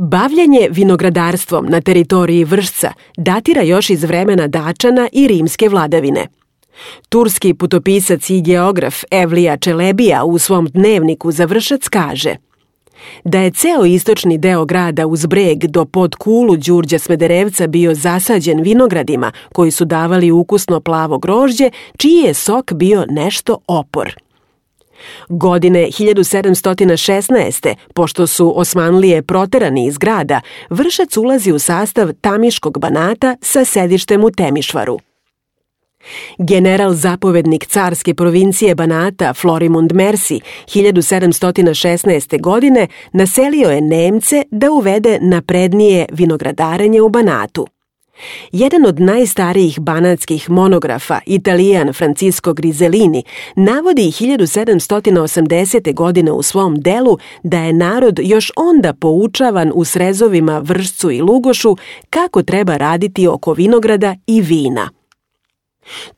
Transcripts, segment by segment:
Bavljenje vinogradarstvom na teritoriji Vršca datira još iz vremena Dačana i rimske vladavine. Turski putopisac i geograf Evlija Čelebija u svom dnevniku za Vršac kaže da je ceo istočni deo grada uz breg do Podkulu Đurđa Smederevca bio zasađen vinogradima koji su davali ukusno plavo grožđe, čiji je sok bio nešto opor. Godine 1716. pošto su Osmanlije proterani iz grada, Vršac ulazi u sastav Tamiškog banata sa sedištem u Temišvaru. General zapovednik carske provincije Banata Florimund Mersi 1716. godine naselio je Nemce da uvede naprednije vinogradarenje u Banatu. Jedan od najstarijih banatskih monografa, Italijan Francisco Grisellini, navodi 1780. godine u svom delu da je narod još onda poučavan u srezovima Vršcu i Lugošu kako treba raditi oko vinograda i vina.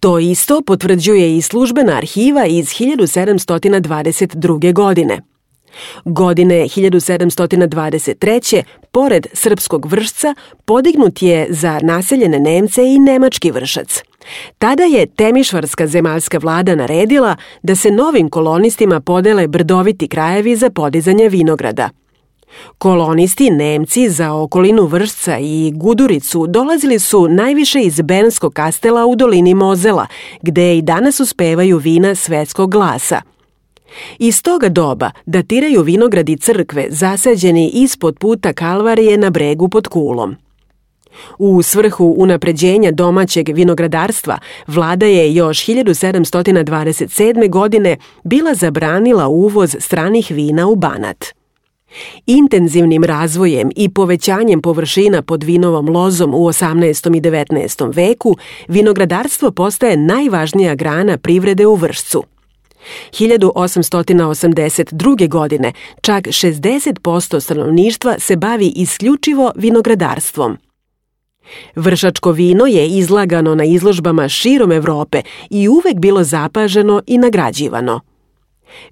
To isto potvrđuje i službena arhiva iz 1722. godine. Godine 1723. pored srpskog Vršca podignut je za naseljene Nemce i nemački Vršac. Tada je Temišvarska zemaljska vlada naredila da se novim kolonistima podele brdoviti krajevi za podizanje vinograda. Kolonisti Nemci za okolinu Vršca i Guduricu dolazili su najviše iz Bernskog kastela u dolini Mozela, gde i danas uspevaju vina svetskog glasa. Iz toga doba datiraju vinogradi crkve zasađeni ispod puta Kalvarije na bregu pod Kulom. U svrhu unapređenja domaćeg vinogradarstva, vlada je još 1727. godine bila zabranila uvoz stranih vina u Banat. Intenzivnim razvojem i povećanjem površina pod vinovom lozom u 18. i 19. veku, vinogradarstvo postaje najvažnija grana privrede u Vršcu. 1882. godine čak 60% stanovništva se bavi isključivo vinogradarstvom. Vršačko vino je izlagano na izložbama širom Evrope i uvek bilo zapaženo i nagrađivano.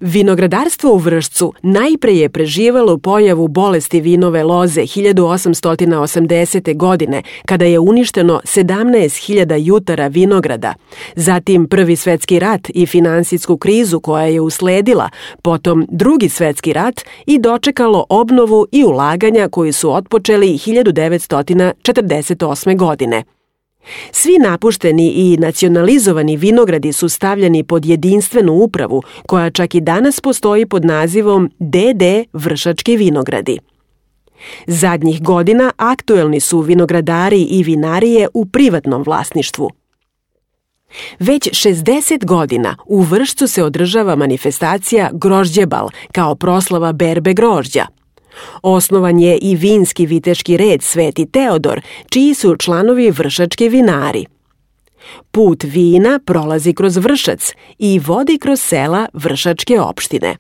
Vinogradarstvo u Vršcu najpre je preživelo pojavu bolesti vinove loze 1880. godine, kada je uništeno 17.000 jutara vinograda, zatim Prvi svetski rat i finansijsku krizu koja je usledila, potom Drugi svetski rat i dočekalo obnovu i ulaganja koji su otpočeli 1948. godine. Svi napušteni i nacionalizovani vinogradi su stavljeni pod jedinstvenu upravu, koja čak i danas postoji pod nazivom DD Vršački vinogradi. Zadnjih godina aktuelni su vinogradari i vinarije u privatnom vlasništvu. Već 60 godina u Vršcu se održava manifestacija Grožđebal kao proslava berbe grožđa. Osnovan je i vinski viteški red Sveti Teodor, čiji su članovi vršački vinari. Put vina prolazi kroz Vršac i vodi kroz sela Vršačke opštine.